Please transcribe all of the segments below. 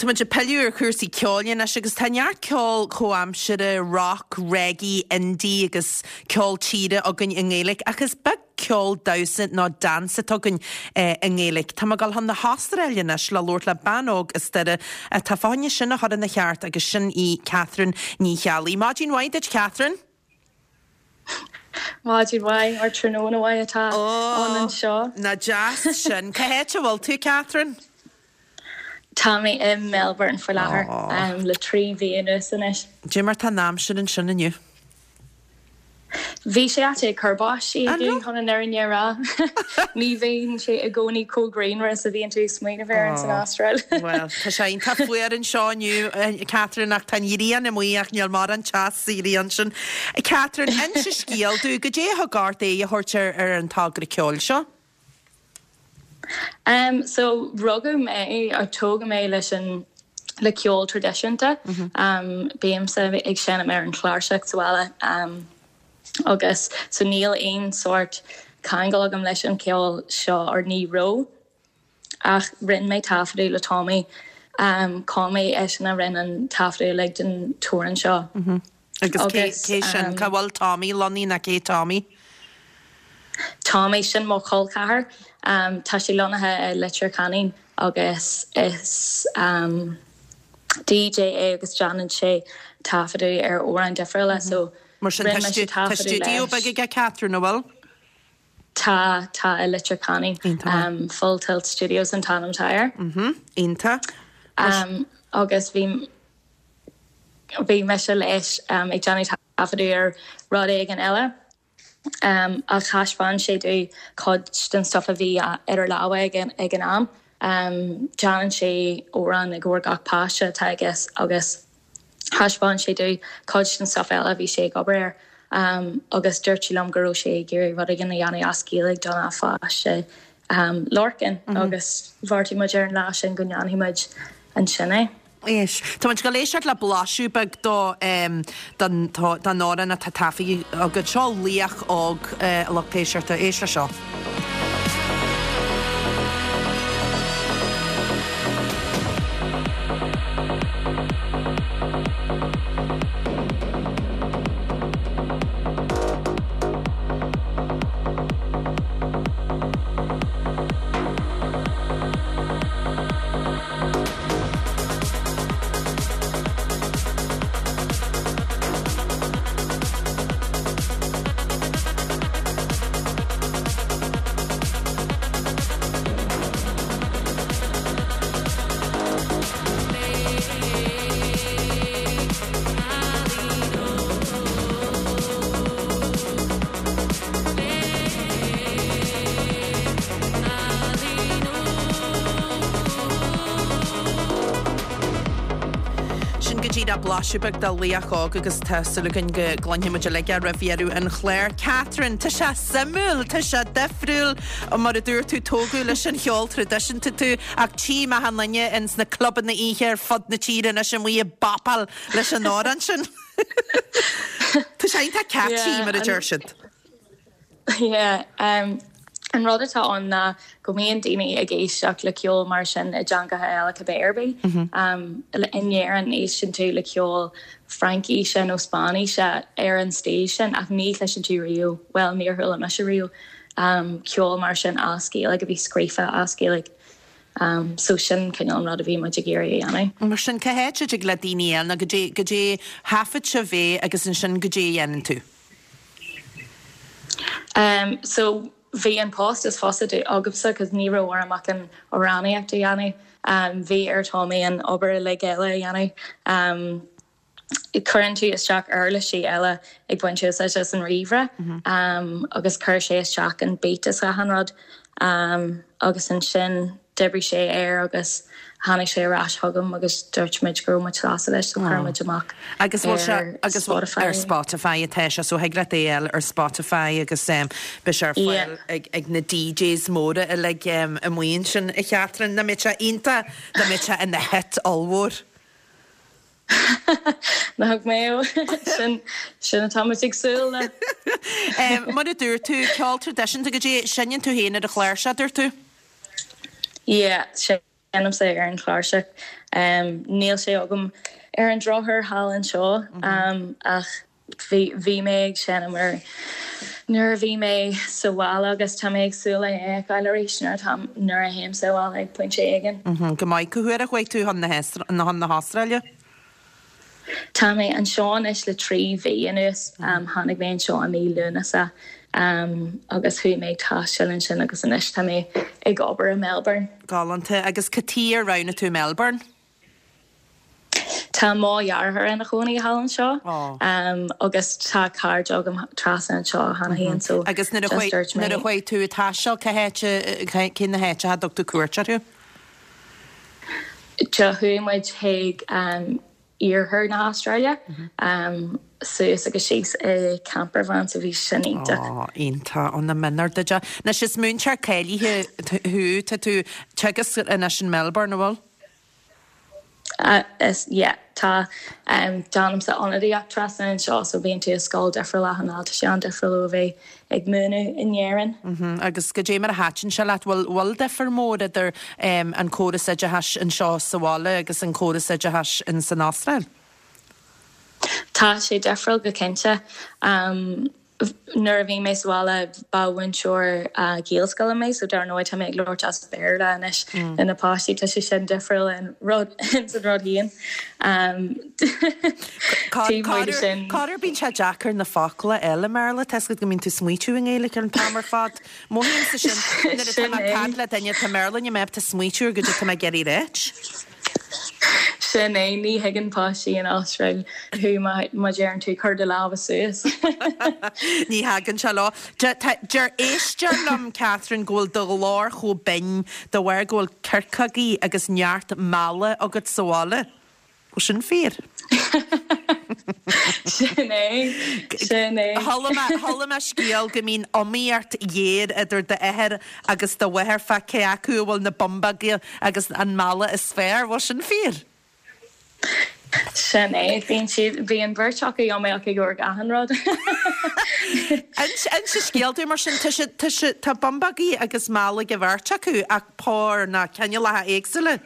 Tá muid ag pilleadh ar chúrsaí ceoil anois agus tá neart ceol comhaimseartha, rock, reggae, indie agus ceol tíre againn i nGaeilge ach is beag ceol damhsa nó dance atá againn i nGaeilge. Tá mé ag dul chun na hAstráile anois le labhairt le bean óg as Doire atá fá choinne sin a chur ina cheart agus sin í Catherine Ní Cheallaigh. Maidin mhaith duit Catherine! Maidin mhaith, or tráthnóna mhaith atá ann anseo. Nach deas sin. Cá háit a bhfuil tú, Catherine? Tá mé i Melbourne faoi láthair le 3 mhí anuas anois. Cad é mar tá an aimsir ansin inniu? Bhí sé ait ag cur báistí inniu chun an fhírinne a rá. Ní bhíonn sé i gcónaí chomh grianmhar is a bhíonn tú ag smaoineamh air ins an Astráil. Bhuel, tá sé iontach fuar anseo inniu, Catherine, ach tá an ghrian amuigh ach níl mórán teas sa ghrian sin. Catherine, inis scéal domh, goidé a thug ort aghaidh a thabhairt ar ar an togra ceoil seo? Um, so rugadh mé, or tógadh mé leis an le ceol traidisiúnta. Um, bímse ag seinm ar an chláirseach sa bhaile. Um, agus so níl aon sórt ceangal agam leis an cheol seo or ní raibh ach rinne mé taifeadadh le Tommy um Tommy eisean a rinne an taifeadadh uilig den t-amhrán seo. Agus cé cé sin? Cá bhfuil Tommy lonnaithe nó cé Tommy? Tommy, sin mo chol ceathar. Um tá sé lonnaithe i Leitir Ceanainn agus is um DJ é agus déanann sé taifeadadh ar amhráin difriúla so Mar sin rinne mise tá taifeadadh stiúideo leis. beag aige Catherine, an bhfuil? Tá, tá i Leitir Ceanainn. Iontach maith. Full Tilt Studios an t-ainm atá air. Mhm, iontach. Mar sin. Agus bhí, bhí mise leis ag déanamh taifeadadh ar rud éigin eile. Ach thaispeáin sé domh cuid den stuff a bhí idir lámha aige ag an am. Déanann sé amhrán i gcomhair gach páiste atá aige agus thaispeáin sé domh cuid den stuff eile a bhí sé ag obair air agus dúirt sé liom go raibh sé ag iarraidh rud éigin a dhéanamh as Gaeilge dona pháiste Lorcan agus bheartaigh muid ar an lá sin go ndéanfaidh muid ansin é. Éist. Tá muid ag dul éisteacht le blaiseadh beag do don don amhrán atá taifeadta agat. Seo Laoch Óg, a lucht éisteachta. Éist le seo. Sin go díreach blaiseadh beag de Laoch Óg agus tá súil againn go gcluinfidh muid uilig é roimh dheireadh an chláir. Catherine, tá sé suimiúil, tá sé difriúil, mar a dúirt tú, tógadh leis an cheol traidisiúnta tú ach tchím achan duine ins na clubanna oíche ar fud na tíre anois amuigh ag bopáil leis an amhrán sin. Tá sé iontach catchy, mar a deir siad. Yeah, an rud atá ann ná go mbíonn daoine ag éisteacht le ceol mar sin i dteangacha eile cibé ar bith. In Éirinn éisteann tú le ceol Fraincíse nó Spáinníse ar an stíl sin ach ní chloiseann tú riamh, bhuel níor chuala mise riamh, ceol mar sin as Gaeilge a bhí scríofa as Gaeilge. So sin cineál an rud a bhí muid ag iarraidh a dhéanamh. Mar sin cá háit a dtig le daoine eile nó goidé, goidé thaifead sibh é agus ansin goidé a dhéanann tú? Um so bhí an post is fusa agamsa cos ní raibh orm ach an amhránaíocht a dhéanamh. Um bhí ar Tommy an obair uilig eile a dhéanamh. Um cuireann tú isteach uirlisí eile ag baint úsáid as an ríomhaire um agus chuir sé isteach an beat is achan rud. Um agus ansin D'oibrigh sé air agus tháinig sé ar ais chugam agus dúirt muid go raibh muid sásta leis so chuir muid amach Agus bhfuil sé ar agus bhfuil Spotify ar é. Spotify atá sé so thig leat é a fháil ar Spotify agus beidh sé ar Yeah. fáil ag ag na DJs móra uilig amuigh ansin a Chatherine. Dá mbeadh sé iontach dá mbeadh sé ina hit ollmhór. Nach mbeadh? Sin sin atá muid ag súil le. Mar a dúirt tú, ceol traidisiúnta goidé, seinneann tú féin ar an chláirseach, dúirt tú? Yeah,. Seinnimse ar an chláirseach. Níl sé agam ar an drochuair thall anseo ach bhí bhí mé ag seinm air nuair a bhí mé sa bhaile agus tá mé ag súil le é a fheiceáil arís nuair atá nuair a théim sa bhaile ag pointe éigin. Go maith. Cá huair a chuaigh tú chun na hAstráile? Tá mé anseo anois le 3 mhí anuas. Tháinig mé anseo i mí Lúnasa agus chuaigh mé ag taisteal ansin agus anois tá mé ag obair i Melbourne. Galánta. Agus cad chuige ar roghnaigh tú Melbourne? Tá mo dheartháir ina chónaí thall anseo agus tá cairde agam trasna anseo cheana féin so Agus nuair a chuaigh nuair a chuaigh tú ag taisteal cá háit cé na háiteacha a dtug tú cuairt orthu? Do chuaigh muid chuig iarthar na hAstráile, suas agus síos i campervan so bhí sin iontach. Ó, iontach, ó na mionardaide. Anois is múinteoir cáilithe thú, tá tú ag teagasc anois in Melbourne, an bhfuil? Is, yeah, tá. Déanaimse ionadaíocht trasna anseo so bíonn tú i scoil difriúil achan lá, tá sé an-difriúil ó a bheith ag múineadh in Éirinn. Agus goidé mar a thaitin sé leat? Bhfuil bhfuil difear mór idir an córas oideachais anseo sa bhaile agus an córas oideachais in san Astráil? Tá sé difriúil go cinnte. Nuair a bhí mé sa bhaile ba mhúinteoir Gaelscoile mé so dar ndóigh tá mé ag labhairt as Béarla anois le na páistí, tá sé sin difriúil in rud ins an rud féin. Taobh amuigh de sin. Corruair bíonn sé deacair na focla a fháil i mBéarla, tá 'fhios agat go mbíonn tú ag smaoitiú i nGaeilge an t-am ar fad. Mothaímse sin nuair atá mé ag caint le duine atá i mBéarla níl mé ábalta smaoitiú ar goidé atá mé ag iarraidh a ráit. Sin é, ní thuigeann páistí in Astráil thú má deireann tú cuir do lámha suas. Ní thagann sé leo. Deir éisteoir liom, Catherine, go bhfuil do ghlór chomh binn de bharr go bhfuil circeogaí agus neart meala agat sa bhaile. Bhfuil sin fíor? Sin é, sin é. Chuala mé, chuala mé scéal go mbíonn iomaíocht ghéar idir d'athair agus do mháthair fá cé acu a bhfuil na bumbóga agus an meala is fearr. Bhfuil sin fíor? Sin é. Bíonn siad, bíonn beirt acu iomaíoch i gcomhair achan rud. Inis an scéal dúinn mar sin. Tá siad, tá siad, tá bumbógaí agus meala ag an bheirt acu ach pór ná cineálacha éagsúla.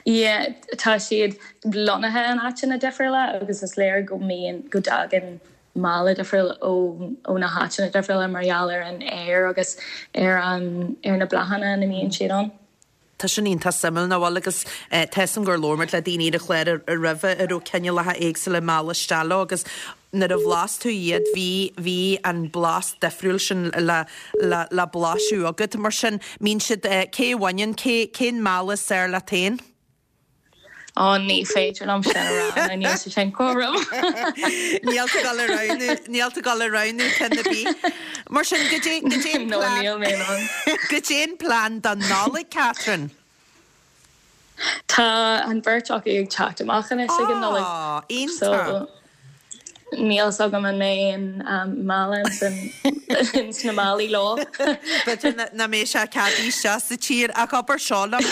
Yeah, tá siad lonnaithe in áiteanna difriúla agus is léir go mbíonn, go dtagann meala difriúil ó, ó na háiteanna difriúla mar gheall ar an aer agus ar an, ar na bláthanna ina mbíonn siad ann. Tá sin iontach suimiúil, nach bhfuil? Agus tá 'fhios a'm gur labhair muid le daoine ar an chlár roimhe a raibh cineálacha éagsúla meala isteach leo agus nuair a bhlas tú iad bhí, bhí an blas difriúil sin le, le, le blaiseadh agat. Mar sin, mbíonn siad, cé a bhaineann, cé, cén meala is fearr leat féin? Ó, ní féidir liom sin a rá, nó níl sé sin cothrom. Níl tú ag dul a roghnú, níl tú ag dul a roghnú ceann ar bith. Mar sin, goidé, goidé an No, plean, níl mé in ann. goidé an plean don Nollaig, Catherine? Tá an bheirt acu ag teacht amach anois ag an Nollaig. Á, iontach. So, níl 'fhios agam an mbeidh aon meala ins na málaí leo. B'fhéidir nach mbeidh sé ceadaithe isteach sa tír ach abair seo liom,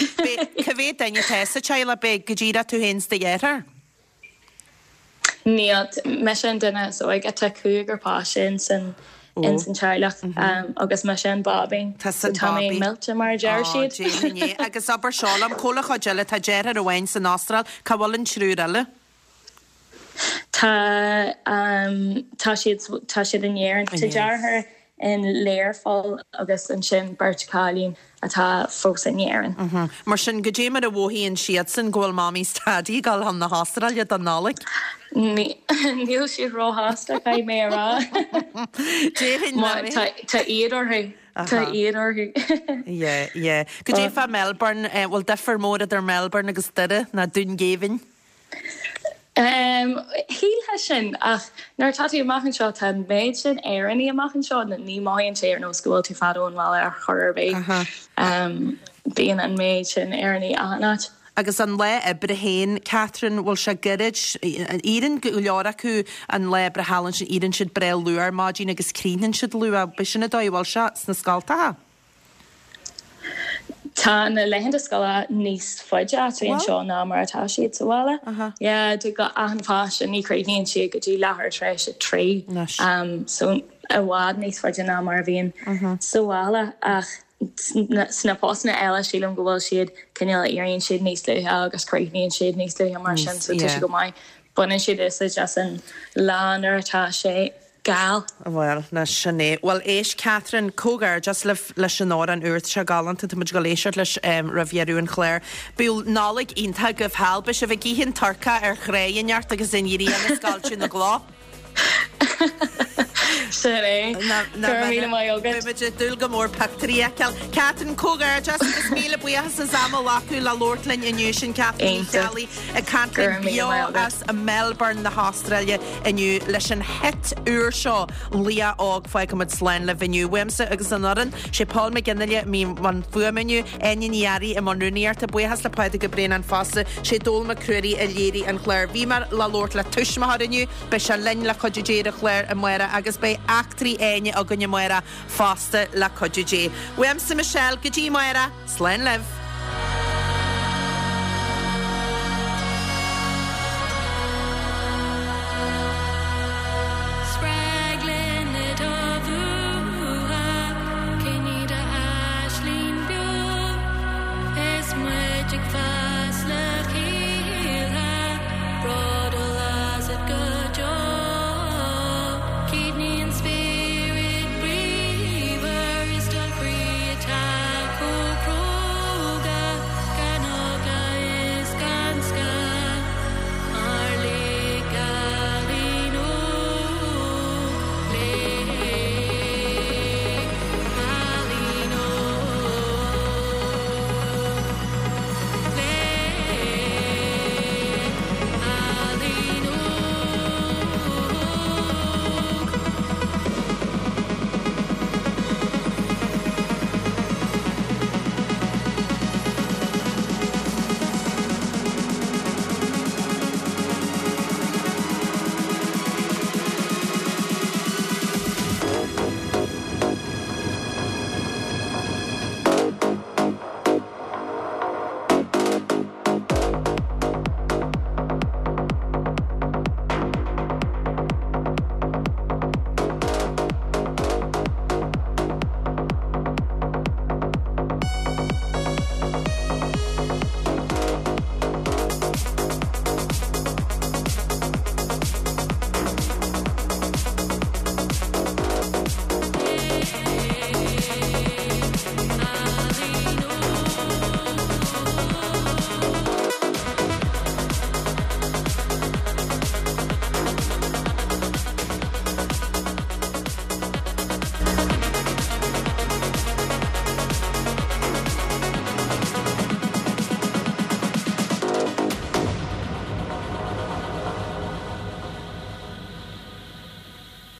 cá mhéad duine atá sa teaghlach, beidh go díreach tú féin 's do dheartháir? Níl, mise an duine is óige, tá cúigear páiste ins an ins an teaghlach agus mise an báibín. Tusa an Tá mé millte mar a deir siad. Déarfainn é. Agus abair seo liom, cá bhfuil an chuid eile, tá deartháir amháin san Astráil, cá bhfuil an triúr eile? Tá tá siad tá siad in Éirinn. Tá deartháir in Learpholl agus ansin beirt chailín atá fós in Éirinn. Mar sin, goidé mar a mhothaíonn siadsan go bhfuil Mamaí 's Daidí ag dul chun na hAstráile don Nollaig? Níl siad róshásta, caithfidh mé a rá. Déarfainn nach mbeidh. Tá éad orthu. Tá éad orthu. Yeah, yeah. Goidé fá Melbourne, bhfuil difear mór idir Melbourne agus Doire ná Dún Geimhin? Shílfeá sin, ach nuair atá tú amach anseo, tá an méid sin Éireannaigh amach anseo, ní mothaíonn sé ar nós go bhfuil tú fada ón bhaile ar chor ar bith. Bíonn an méid sin Éireannaigh achan áit. Agus an lá oibre féin, Catherine, bhfuil sé gairid? Éiríonn go leor acu an lá oibre thall ansin, éiríonn siad breá luath ar maidin agus críochnaíonn siad luath. B'shin an dóigh a bhfuil sé sna scoltacha? Tá na laethanta scoile níos faide actually anseo ná mar atá siad sa bhaile. Yeah, do achan pháiste ní chríochnaíonn siad go dtí leathuair tar éis a 3. So i bhfad níos faide ná mar a bhíonn sa bhaile ach. Sna postanna eile sílim go bhfuil siad cineál éiríonn siad níos luaithe agus críochnaíonn siad níos luaithe mar sin so tá sé go maith. Baineann siad úsáid as an lá nuair atá sé geal. Bhuel, ná sin é. Bhuel, éist Catherine, comhghairdeas libh leis an amhrán úr, tá sé galánta, tá muid ag dul éisteacht leis roimh dheireadh an chláir. Bíodh Nollaig iontach agaibh thall, beidh sibh ag ithe an turcaí ar thráigh inteacht agus an ghrian ag scoilteadh na gcloch. Sin é. Go raibh míle maith agat. Beidh muid ag dúil go mór pictiúirí a fheiceáil. Catherine, comhghairdeas agus míle buíochas as am a ghlacadh le labhairt linn inniu. Sin Catherine Ní Cheallaigh ag caint linn beo as Melbourne na hAstráile inniu leis an hit úr seo, Laoch Óg. Fágfaimid slán libh inniu. Uaimse agus an fhoireann, sé Paul McGinley a bhí i mbun fuaime inniu, Áine Ní Fhearraigh i mbun rúnaíochta, buíochas le Pádraig Ó Braonáin fosta, sé Dónal Mac Ruairí a léirigh an clár. Bhí mé le labhairt le tuismitheoir inniu. Beidh sé linn le cuidiú Dé ar an chlár amárach agus beidh eachtraí Áine againn amárach fosta le cuidiú Dé. Uaimse Michelle go dtí amárach, slán libh!